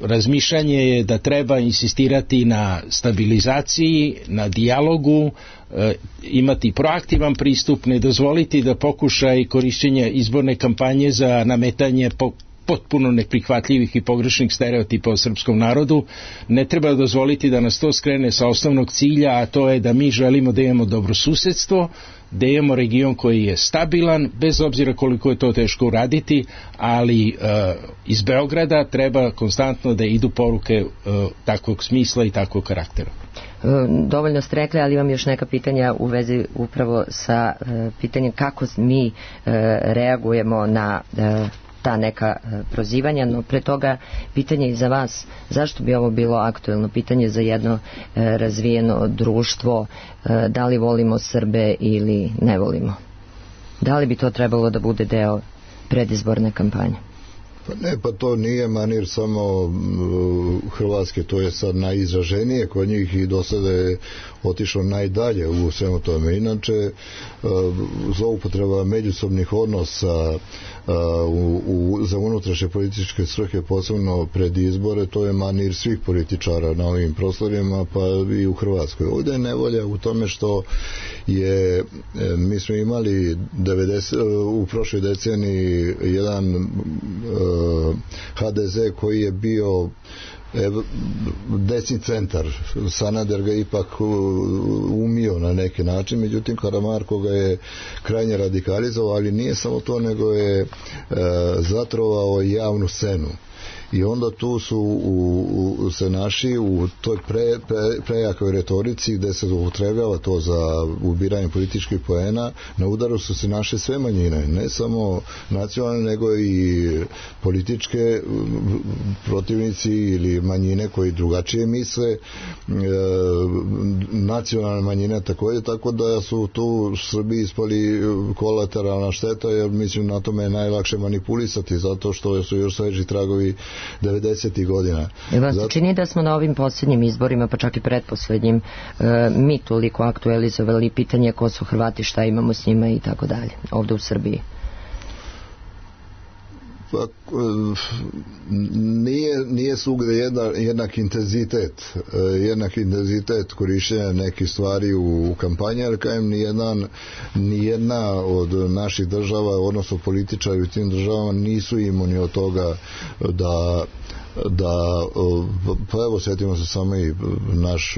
razmišljanje je da treba insistirati na stabilizaciji, na dijalogu, e, imati proaktivan pristup, ne dozvoliti da pokušaj korišćenja izborne kampanje za nametanje po potpuno neprihvatljivih i pogrešnih stereotipa o srpskom narodu, ne treba dozvoliti da nas to skrene sa osnovnog cilja, a to je da mi želimo da imamo dobrosusedstvo, da imamo region koji je stabilan, bez obzira koliko je to teško uraditi, ali uh, iz Beograda treba konstantno da idu poruke uh, takvog smisla i takvog karaktera. Dovoljno ste rekli, ali imam još neka pitanja u vezi upravo sa uh, pitanjem kako mi uh, reagujemo na uh, ta neka prozivanja, no pre toga pitanje i za vas, zašto bi ovo bilo aktuelno pitanje za jedno e, razvijeno društvo, e, da li volimo Srbe ili ne volimo? Da li bi to trebalo da bude deo predizborne kampanje? Pa ne, pa to nije manir samo uh, Hrvatske, to je sad najizraženije kod njih i do sada je otišlo najdalje u svemu tome. Inače, uh, zloupotreba međusobnih odnosa uh, u, u, za unutrašnje političke svrhe, posebno pred izbore, to je manir svih političara na ovim prostorima, pa i u Hrvatskoj. Ovdje je nevolja u tome što je, mi smo imali devedeset, u prošloj deceniji jedan uh, ha de ze koji je bio desni centar. Sanader ga ipak umio na neki način, međutim Karamarko ga je krajnje radikalizovao, ali nije samo to, nego je e, zatrovao javnu scenu. I onda tu su u, u, se naši u toj pre, pre, prejakoj retorici gde se upotrebljava to za ubiranje političkih poena, na udaru su se naše sve manjine, ne samo nacionalne, nego i političke protivnici ili manjine koji drugačije misle, e, nacionalne manjine takođe, tako da su tu Srbi ispali kolateralna šteta, jer mislim na tome je najlakše manipulisati, zato što su još sveži tragovi devedesetih godina. Vas se čini da smo na ovim posljednjim izborima, pa čak i pretposlednjim, e, mi toliko aktualizovali pitanje ko su Hrvati, šta imamo s njima i tako dalje, ovde u Srbiji? Pa, nije, nije svugde jedna, jednak intenzitet jednak intenzitet korišćenja nekih stvari u, u kampanji, ali kajem nijedan, nijedna od naših država, odnosno političari u tim državama nisu imuni od toga da da, pa evo sjetimo se samo i naš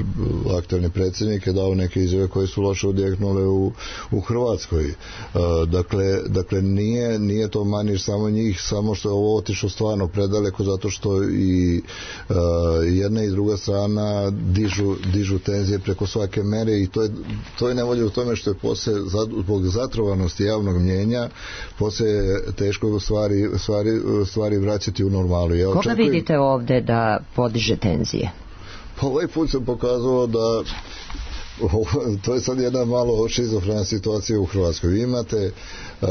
aktualni predsjednik je dao neke izjave koje su loše odjeknule u, u Hrvatskoj. Dakle, dakle nije, nije to manir samo njih, samo što je ovo otišlo stvarno predaleko, zato što i uh, jedna i druga strana dižu, dižu tenzije preko svake mere i to je, to je nevolje u tome što je posle, zbog zatrovanosti javnog mnjenja, posle teško stvari, stvari, stvari vraćati u normalu. Ja Koga vidite ovde da podiže tenzije? Pa ovaj put se pokazalo da to je sad jedna malo šizofrena situacija u Hrvatskoj. Vi imate uh,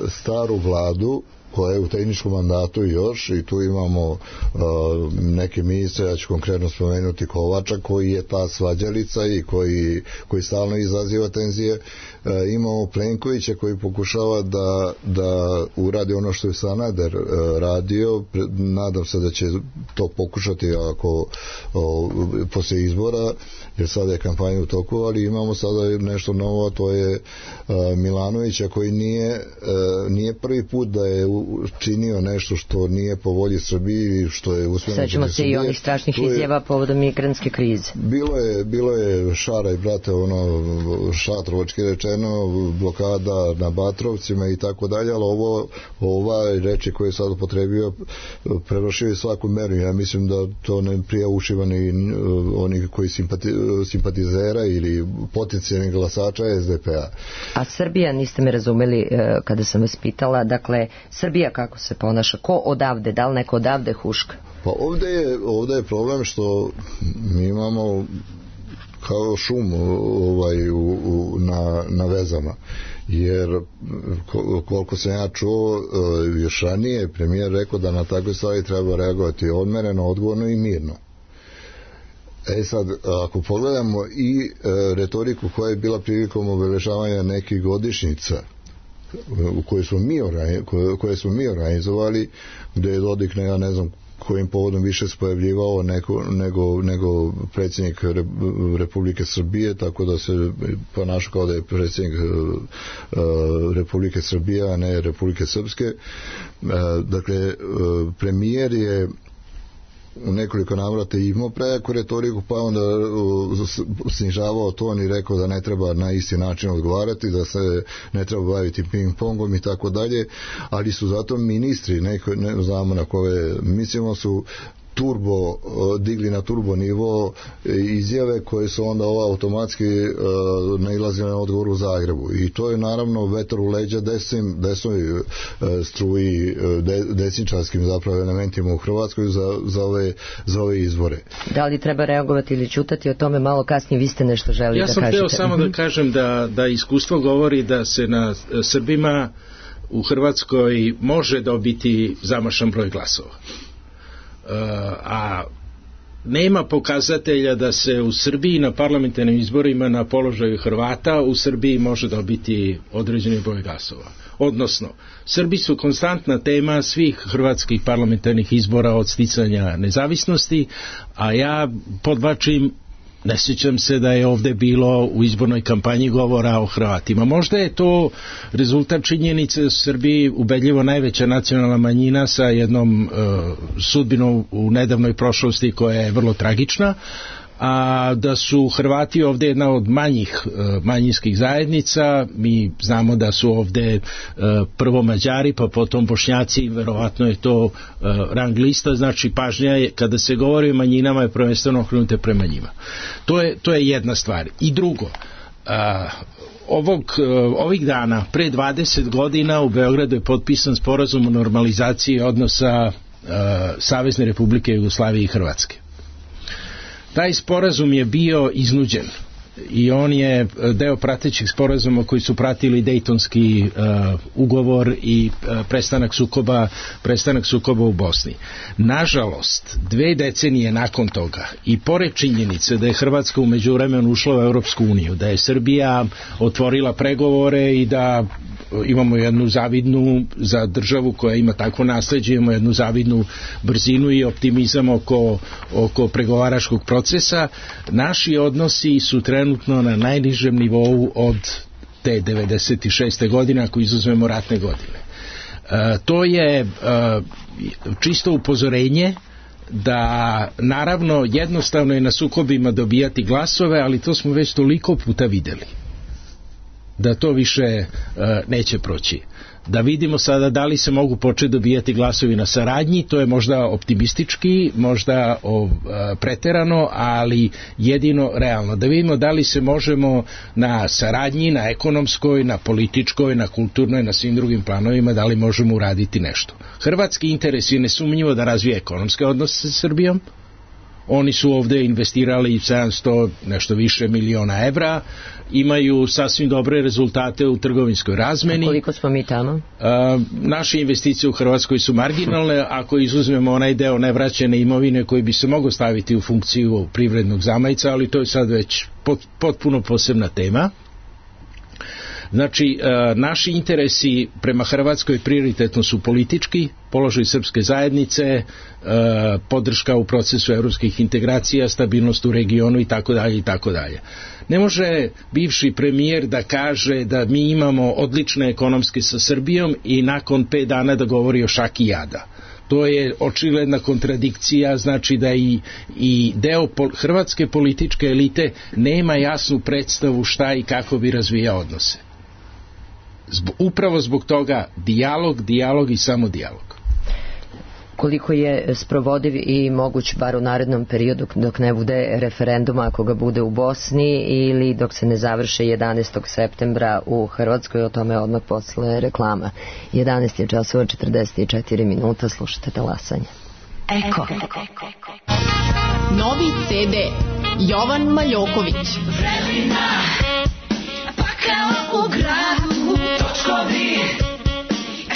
staru vladu koja je u tehničkom mandatu još, i tu imamo uh, neke ministre, ja ću konkretno spomenuti Kovača, koji je ta svađalica i koji, koji stalno izaziva tenzije. Uh, imamo Plenkovića koji pokušava da, da uradi ono što je Sanader uh, radio. Nadam se da će to pokušati ako uh, poslije izbora, jer sada je kampanja u toku, ali imamo sada nešto novo, to je uh, Milanovića koji nije, uh, nije prvi put da je činio nešto što nije po volji Srbiji, što je uspjeno. Sećamo se i onih strašnih je, izjava povodom migrantske krize. Bilo je, bilo je šara i brate, ono, šatrovački rečeno, blokada na Batrovcima i tako dalje, ali ovo, ova reči koje je sad upotrebio prevršio je svaku meru. Ja mislim da to ne prija ušiva ni oni koji simpati, simpatizera ili potencijalnih glasača es de pe a. A Srbija, niste me razumeli kada sam vas pitala, dakle, Srbija kako se ponaša, ko odavde, da li neko odavde huška? Pa ovde je, ovde je problem što mi imamo kao šum ovaj, u, u, na, na vezama, jer koliko sam ja čuo još ranije, premijer rekao da na takve stvari treba reagovati odmereno, odgovorno i mirno. E sad, ako pogledamo i e, retoriku koja je bila prilikom obeležavanja nekih godišnjica u koje smo mi, koje smo mi organizovali, gdje je Dodik, ne, ja ne znam kojim povodom više se pojavljivao nego, nego, nego predsjednik Republike Srbije, tako da se ponaša kao da je predsjednik uh, Republike Srbije, a ne Republike Srpske. Uh, dakle, uh, premijer je u nekoliko navrata imao prejaku retoriku, pa onda snižavao ton i rekao da ne treba na isti način odgovarati, da se ne treba baviti ping-pongom i tako dalje, ali su zato ministri, neko, ne znamo na koje, mislimo su turbo, digli na turbo nivo izjave koje su onda ovo automatski uh, nailazile na odgovor u Zagrebu, i to je naravno vetar u leđa desnim, desnoj uh, struji, de, desničarskim zapravo elementima u Hrvatskoj za, za, ove, za ove izbore. Da li treba reagovati ili ćutati, o tome malo kasnije, vi ste nešto želi ja da kažete. Ja sam hteo samo da kažem da, da iskustvo govori da se na Srbima u Hrvatskoj može dobiti zamašan broj glasova. Uh, a nema pokazatelja da se u Srbiji na parlamentarnim izborima na položaju Hrvata u Srbiji može dobiti određeni broj glasova. Odnosno, Srbi su konstantna tema svih hrvatskih parlamentarnih izbora od sticanja nezavisnosti, a ja podvlačim, ne sjećam se da je ovde bilo u izbornoj kampanji govora o Hrvatima. Možda je to rezultat činjenice da su Srbiji ubedljivo najveća nacionalna manjina sa jednom uh, sudbinom u nedavnoj prošlosti koja je vrlo tragična, a da su Hrvati ovde jedna od manjih uh, manjinskih zajednica. Mi znamo da su ovde uh, prvo Mađari, pa potom Bošnjaci, verovatno je to uh, rang lista, znači pažnja je, kada se govori o manjinama, je prvenstveno okrenute prema njima. To je, to je jedna stvar. I drugo, uh, ovog, uh, ovih dana, pre dvadeset godina u Beogradu je potpisan sporazum o normalizaciji odnosa uh, Savezne Republike Jugoslavije i Hrvatske. Taj sporazum je bio iznuđen i on je deo pratećih sporazuma koji su pratili Dejtonski uh, ugovor i uh, prestanak sukoba, prestanak sukoba u Bosni. Nažalost, dve decenije nakon toga i pored činjenice da je Hrvatska u međuvremenu ušla u Europsku uniju, da je Srbija otvorila pregovore i da imamo jednu zavidnu, za državu koja ima takvo nasleđe, imamo jednu zavidnu brzinu i optimizam oko, oko pregovaračkog procesa, naši odnosi su trenutno na najnižem nivou od te devedeset šeste godine, ako izuzmemo ratne godine. E, to je e, čisto upozorenje da naravno jednostavno je na sukobima dobijati glasove, ali to smo već toliko puta videli da to više e, neće proći. Da vidimo sada da li se mogu početi dobijati glasovi na saradnji, to je možda optimistički, možda o, e, preterano, ali jedino realno. Da vidimo da li se možemo na saradnji, na ekonomskoj, na političkoj, na kulturnoj, na svim drugim planovima, da li možemo uraditi nešto. Hrvatski interes je nesumnjivo da razvije ekonomske odnose sa Srbijom, Oni su ovde investirali sedamsto nešto više miliona evra, imaju sasvim dobre rezultate u trgovinskoj razmeni. A koliko smo mi tamo? A, naše investicije u Hrvatskoj su marginalne, ako izuzmemo onaj deo nevraćene imovine koji bi se mogao staviti u funkciju privrednog zamajca, ali to je sad već pot, potpuno posebna tema. Znači, naši interesi prema Hrvatskoj prioritetno su politički, položaj srpske zajednice, podrška u procesu evropskih integracija, stabilnost u regionu i tako dalje i tako dalje. Ne može bivši premijer da kaže da mi imamo odlične ekonomske sa Srbijom i nakon pet dana da govori o šaki jada. To je očigledna kontradikcija, znači da i, i deo pol, hrvatske političke elite nema jasnu predstavu šta i kako bi razvijao odnose. Zbog, upravo zbog toga dijalog, dijalog i samo dijalog. Koliko je sprovodiv i moguć bar u narednom periodu dok ne bude referenduma, ako ga bude u Bosni ili dok se ne završe jedanaestog septembra u Hrvatskoj, o tome odmah posle reklama. jedanaest je časova četrdeset četiri minuta, slušate Talasanje. Eko. Novi ce de Jovan Maljoković. Vrelina, pakao u gradu, točkovi,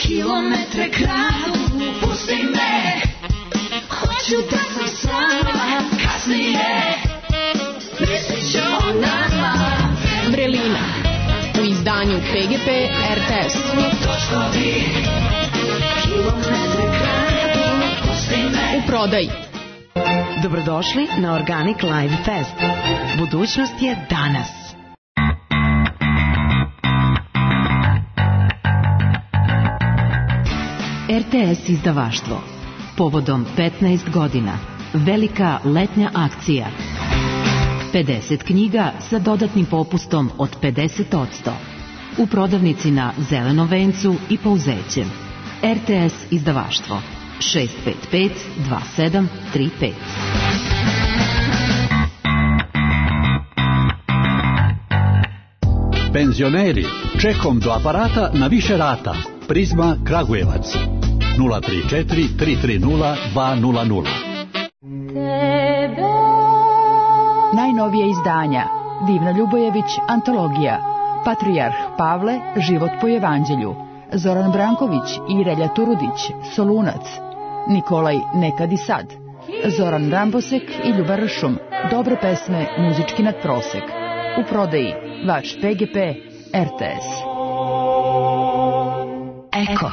kilometre kradu, pusti me, hoću da sam sama, kasnije, mislit ću o nama. Vrelina, u izdanju pe ge pe er te es. Točkovi, kilometre kradu, pusti me. U prodaji. Dobrodošli na Organic Live Fest. Budućnost je danas. er te es izdavaštvo. Povodom petnaest godina. Velika letnja akcija. pedeset knjiga sa dodatnim popustom od pedeset posto. U prodavnici na Zelenom vencu i Pouzećem. er te es izdavaštvo. šest pet pet dva sedam tri pet. Penzioneri, čekom do aparata na više rata. Prizma Kragujevac. nula tri četiri tri tri nula dva nula nula. Najnovije izdanja. Divna Ljubojević, antologija. Patrijarh Pavle, život po evanđelju. Zoran Branković i Relja Turudić, Solunac. Nikolaj, nekad i sad. Zoran Rambosek i Ljuba Ršum, dobre pesme, muzički nadprosek. U prodaji, vaš pe ge pe, er te es. Eko.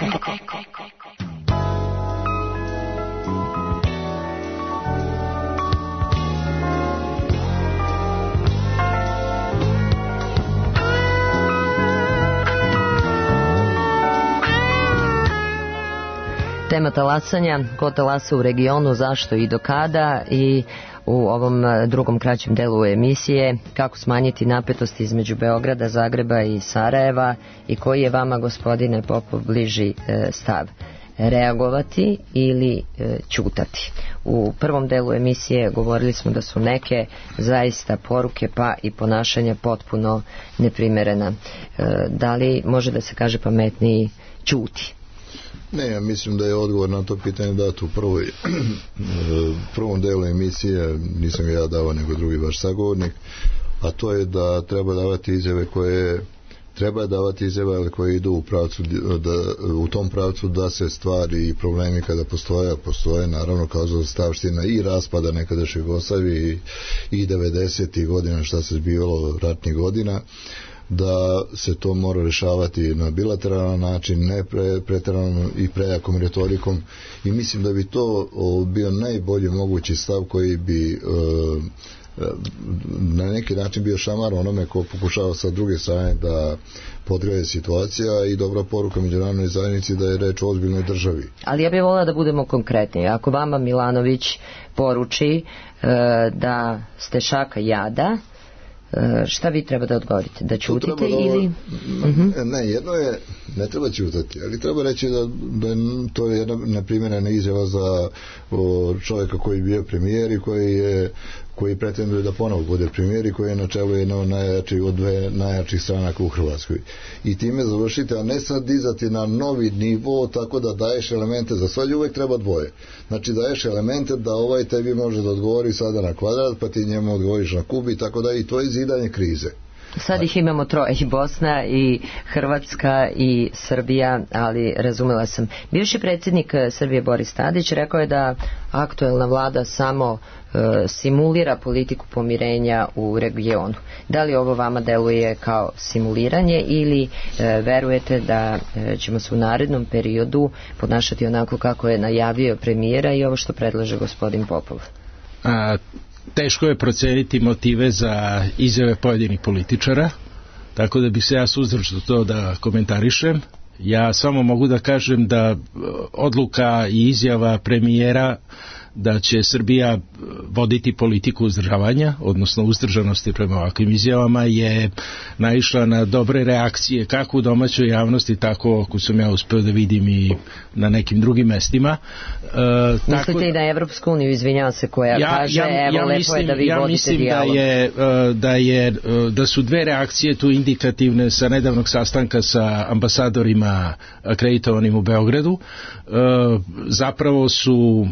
Tema talasanja, ko talasa u regionu, zašto i do kada, i u ovom drugom kraćem delu emisije kako smanjiti napetost između Beograda, Zagreba i Sarajeva i koji je vama, gospodine Popov, bliži e, stav. Reagovati ili e, ćutati. U prvom delu emisije govorili smo da su neke zaista poruke pa i ponašanja potpuno neprimerena. E, da li može da se kaže pametniji ćuti? Ne, ja mislim da je odgovor na to pitanje dat u prvoj, prvom delu emisije, nisam ga ja davao nego drugi vaš sagovornik, a to je da treba davati izjave koje treba davati izjave, ali koje idu u pravcu da, u tom pravcu da se stvari i problemi kada postoje, postoje naravno kao zastavština i raspada nekadašnje Jugoslavije i, i devedesetih godina šta se zbivalo ratnih godina, da se to mora rešavati na bilateralan način, ne pre, pretjeranom i prejakom retorikom, i mislim da bi to o, bio najbolji mogući stav koji bi o, na neki način bio šamar onome ko pokušava sa druge strane da podgreve situacija i dobra poruka međunarodnoj zajednici da je reč o ozbiljnoj državi. Ali ja bih volila da budemo konkretni. Ako vama Milanović poruči e, da ste šaka jada, šta vi treba da odgovorite? Da ćutite da, ili... Ne, jedno je, ne treba ćutati, ali treba reći da, da to je jedna neprimjerena izjava za o, čovjeka koji je bio premijer i koji je koji pretenduje da ponovo bude premijer i koji je na čelu jedno od najjačih, od dve najjačih stranaka u Hrvatskoj. I time završite, a ne sad dizati na novi nivo tako da daješ elemente, za svađu uvek treba dvoje. Znači daješ elemente da ovaj tebi može da odgovori sada na kvadrat, pa ti njemu odgovoriš na kubi, tako da i to je zidanje krize. Sad ih imamo troje, i Bosna i Hrvatska i Srbija, ali razumela sam. Bivši predsjednik Srbije Boris Tadić rekao je da aktuelna vlada samo e, simulira politiku pomirenja u regionu. Da li ovo vama deluje kao simuliranje ili e, verujete da e, ćemo se u narednom periodu ponašati onako kako je najavio premijera i ovo što predlaže gospodin Popov? A... Teško je proceniti motive za izjave pojedinih političara, tako da bih se ja suzdržao to da komentarišem. Ja samo mogu da kažem da odluka i izjava premijera da će Srbija voditi politiku uzdržavanja, odnosno uzdržanosti prema ovakvim izjavama, je naišla na dobre reakcije kako u domaćoj javnosti, tako ako sam ja uspeo da vidim i na nekim drugim mestima. E, Mislite tako, i na Evropsku uniju, izvinjavam se, koja ja, kaže ja, evo ja lepo mislim, je da vi ja vodite mislim dijalog. Da, je, da, je, da su dve reakcije tu indikativne sa nedavnog sastanka sa ambasadorima akreditovanim u Beogradu. E, zapravo su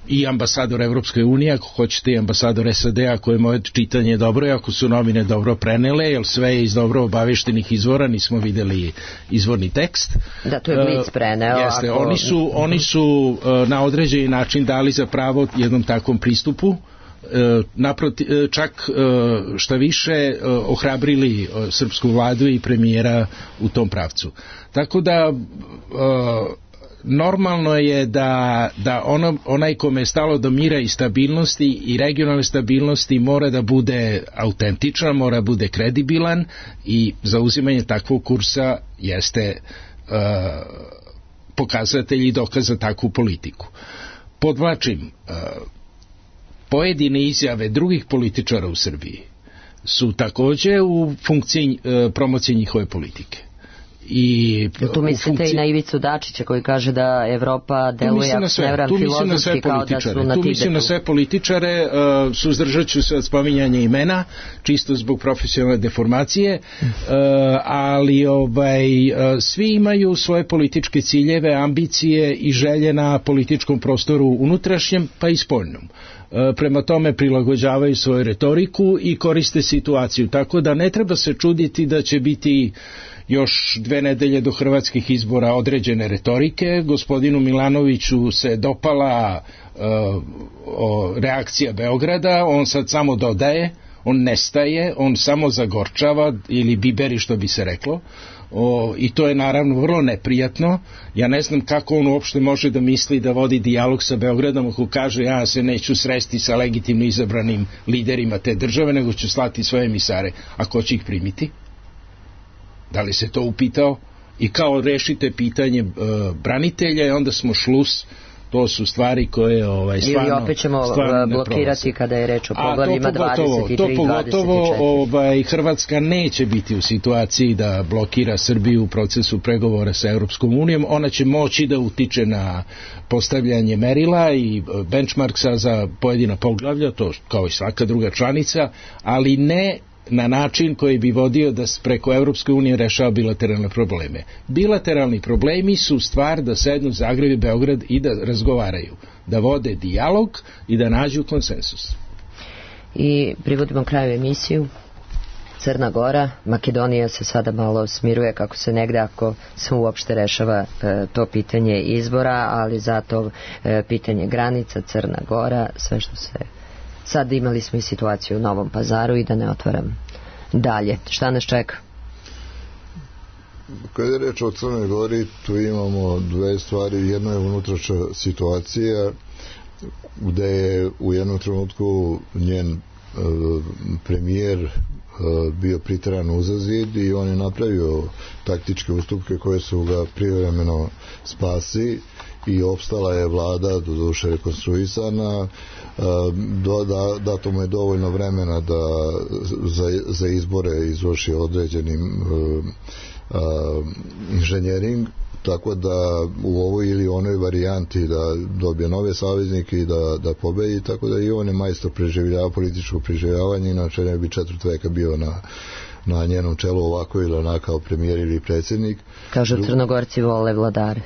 i ambasador Evropske unije, ako hoćete i ambasador S A D, ako je moje čitanje dobro i ako su novine dobro prenele, jer sve je iz dobro obaveštenih izvora, nismo videli izvorni tekst. Da, to je Blic preneo. Uh, jeste, ako... oni su, oni su uh, na određeni način dali za pravo jednom takvom pristupu, uh, naproti, uh, čak uh, šta više uh, ohrabrili uh, srpsku vladu i premijera u tom pravcu. Tako da uh, normalno je da, da ono, onaj kome je stalo do mira i stabilnosti i regionalne stabilnosti mora da bude autentičan, mora da bude kredibilan i zauzimanje takvog kursa jeste uh, pokazatelj i dokaz za takvu politiku. Podvlačim, uh, pojedine izjave drugih političara u Srbiji su takođe u funkciji uh, promocije njihove politike. I tu mislite funkciji... i na Ivicu Dačića koji kaže da Evropa deluje nevran filozofski kao da su na Tibetu. Tu mislim na sve političare, uh, suzdržat ću se od spominjanja imena, čisto zbog profesionalne deformacije, uh, ali ovaj, uh, svi imaju svoje političke ciljeve, ambicije i želje na političkom prostoru unutrašnjem pa i spoljnom. Prema tome prilagođavaju svoju retoriku i koriste situaciju, tako da ne treba se čuditi da će biti još dve nedelje do hrvatskih izbora određene retorike. Gospodinu Milanoviću se dopala uh, o, reakcija Beograda, on sad samo dodaje, on nestaje, on samo zagorčava ili biberi što bi se reklo. O, i to je naravno vrlo neprijatno. Ja ne znam kako on uopšte može da misli da vodi dijalog sa Beogradom ako kaže ja se neću sresti sa legitimno izabranim liderima te države, nego ću slati svoje emisare. A ko će ih primiti? Da li se to upitao? I kao rešite pitanje e, branitelja i onda smo šlus. To su stvari koje ovaj, stvarno... Ili opet ćemo blokirati kada je reč o poglavljima dvadeset i tri i dvadeset i četiri. To pogotovo ovaj, Hrvatska neće biti u situaciji da blokira Srbiju u procesu pregovora sa Europskom unijom. Ona će moći da utiče na postavljanje merila i benchmarksa za pojedina poglavlja, to kao i svaka druga članica, ali ne na način koji bi vodio da preko Europske unije rešava bilateralne probleme. Bilateralni problemi su stvar da sednu Zagreb i Beograd i da razgovaraju, da vode dijalog i da nađu konsensus. I privodimo kraju emisiju. Crna Gora, Makedonija se sada malo smiruje kako se negde ako se uopšte rešava e, to pitanje izbora, ali zato e, pitanje granica, Crna Gora, sve što se... Sad imali smo i situaciju u Novom Pazaru i da ne otvaram dalje. Šta nas čeka? Kada je reč o Crnoj Gori, tu imamo dve stvari. Jedno je unutrašnja situacija gde je u jednom trenutku njen e, premijer e, bio priteran uza zid i on je napravio taktičke ustupke koje su ga privremeno spasi i opstala je vlada, doduše rekonstruisana, do, da, dato mu je dovoljno vremena da za, za izbore izvrši određenim uh, uh, inženjering, tako da u ovoj ili onoj varijanti da dobije nove saveznike i da, da pobedi, tako da i on je majstor preživljava, političko preživljavanje, inače ne bi četvrt veka bio na na njenom čelu ovako ili onako kao premijer ili predsjednik. Kažu Crnogorci vole vladare.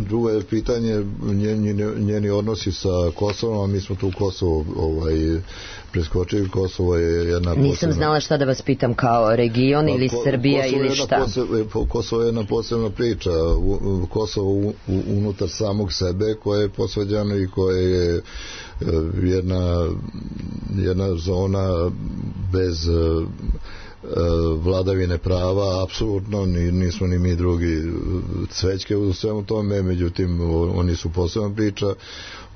Drugo je pitanje njeni, njeni odnosi sa Kosovom, a mi smo tu Kosovo ovaj, preskočili. Kosovo je jedna posebna... Nisam znala šta da vas pitam, kao region ili Ko, Srbija Kosovo ili šta? Posebna, Kosovo je jedna posebna priča. Kosovo u, unutar samog sebe koje je posvađano i koje je jedna, jedna zona bez vladavine prava, apsolutno nismo ni mi drugi cvećke u svemu tome, međutim oni su posebna priča.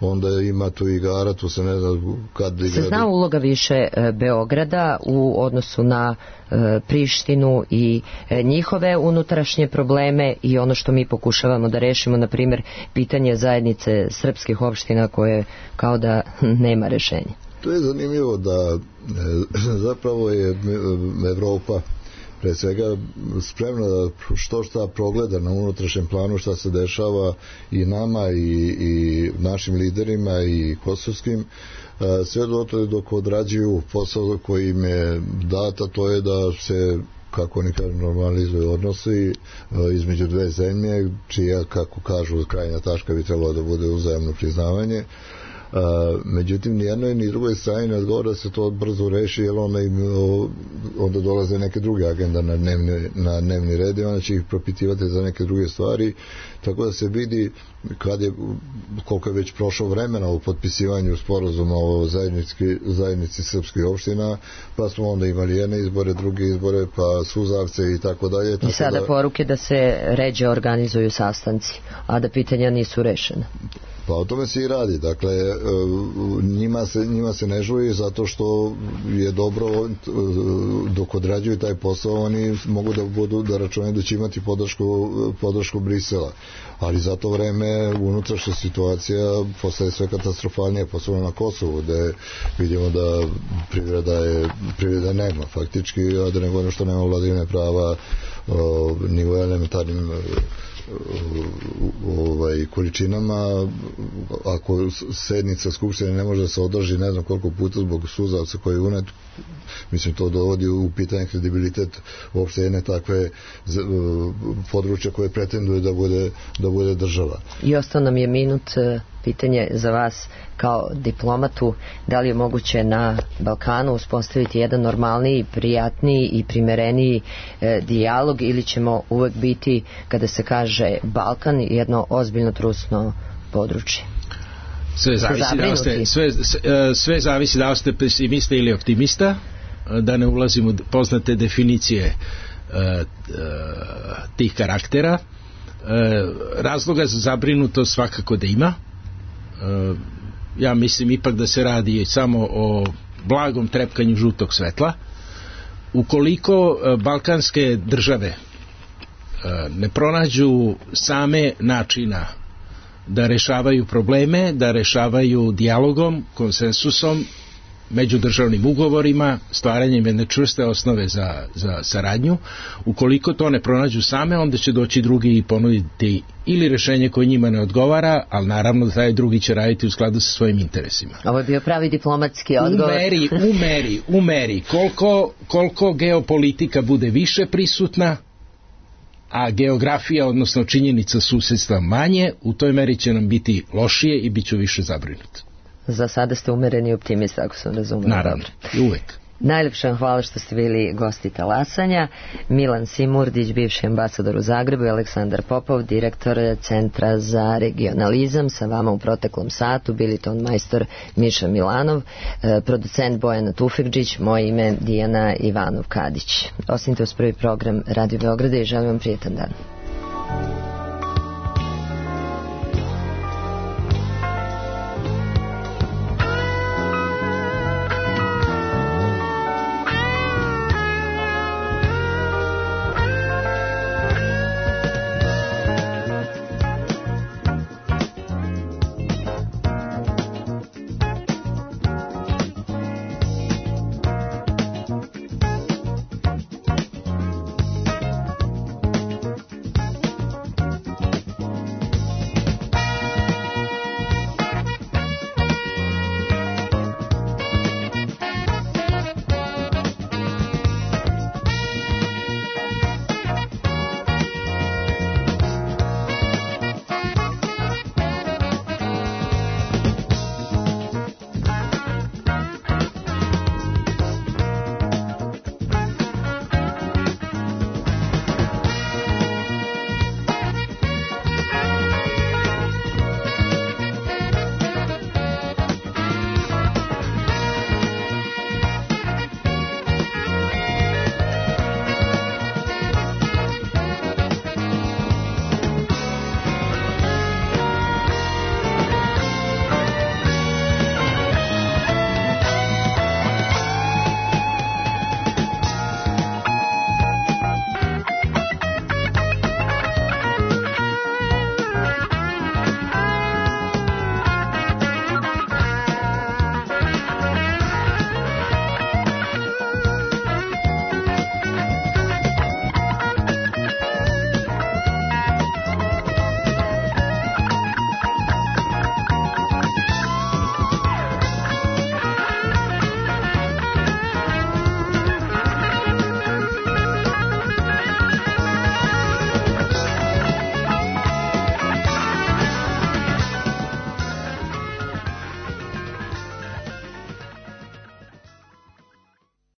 Onda ima tu igara, tu se ne zna kad igra. Se zna uloga više Beograda u odnosu na e, Prištinu i e, njihove unutrašnje probleme i ono što mi pokušavamo da rešimo, na primjer pitanje zajednice srpskih opština koje kao da nema rešenja. To je zanimljivo da e, zapravo je Evropa pre svega spremna da što šta progleda na unutrašnjem planu šta se dešava i nama i, i našim liderima i kosovskim, sve do to dok odrađuju posao koji im je data, to je da se, kako oni kažu, normalizuju odnosi između dve zemlje, čija, kako kažu, krajnja tačka bi trebalo da bude uzajamno priznavanje. Uh, međutim, ni jednoj ni drugoj strani ne odgovara da se to brzo reši, jer onda, im, o, onda dolaze neke druge agenda na dnevni, na dnevni red i onda će ih propitivati za neke druge stvari, tako da se vidi kad je, koliko je već prošlo vremena u potpisivanju sporazuma o zajednici, zajednici srpskih opština, pa smo onda imali jedne izbore, druge izbore, pa suzavce i tako dalje. I sada da, poruke da se ređe organizuju sastanci, a da pitanja nisu rešena. Pa o tome se i radi. Dakle, njima se, njima se ne žuri zato što je dobro dok odrađuju taj posao, oni mogu da budu da računaju da će imati podršku, podršku Brisela. Ali za to vreme unutrašnja situacija postaje sve katastrofalnije, posebno na Kosovu, gde vidimo da privreda je privreda nema faktički, a da ne govorim što nema vladavine prava ni u elementarnim ovaj, količinama. Ako sednica skupštine ne može da se održi ne znam koliko puta zbog suzavca koji je unet, mislim to dovodi u pitanje kredibilitet uopšte jedne takve područja koje pretenduje da bude, da bude država. I ostao nam je minut, pitanje za vas kao diplomatu, da li je moguće na Balkanu uspostaviti jedan normalniji, prijatniji i primereniji e, dijalog, ili ćemo uvek biti, kada se kaže Balkan, jedno ozbiljno trusno područje? Sve zavisi da ste, sve, sve zavisi da ste pesimista ili optimista, da ne ulazimo u poznate definicije uh, uh, tih karaktera. Uh, razloga za zabrinutost svakako da ima. Uh, ja mislim ipak da se radi samo o blagom trepkanju žutog svetla. Ukoliko uh, balkanske države uh, ne pronađu same načina da rešavaju probleme, da rešavaju dijalogom, konsensusom, međudržavnim ugovorima, stvaranjem jedne čvrste osnove za, za saradnju. Ukoliko to ne pronađu same, onda će doći drugi i ponuditi ili rešenje koje njima ne odgovara, ali naravno da taj drugi će raditi u skladu sa svojim interesima. Ovo je bio pravi diplomatski odgovor. U meri, u meri, u meri. Koliko, koliko geopolitika bude više prisutna, a geografija, odnosno činjenica susedstva manje, u toj meri će nam biti lošije i bit ću više zabrinut. Za sada ste umereni optimista, ako sam razumela. Naravno, i uvek. Najlepša hvala što ste bili gosti Talasanja. Milan Simurdić, bivši ambasador u Zagrebu, i Aleksandar Popov, direktor Centra za regionalizam. Sa vama u proteklom satu bili ton majstor Miša Milanov, producent Bojana Tufekđić, moje ime Dijana Ivanov-Kadić. Ostanite uz prvi program Radio Beograda i želim vam prijetan dan.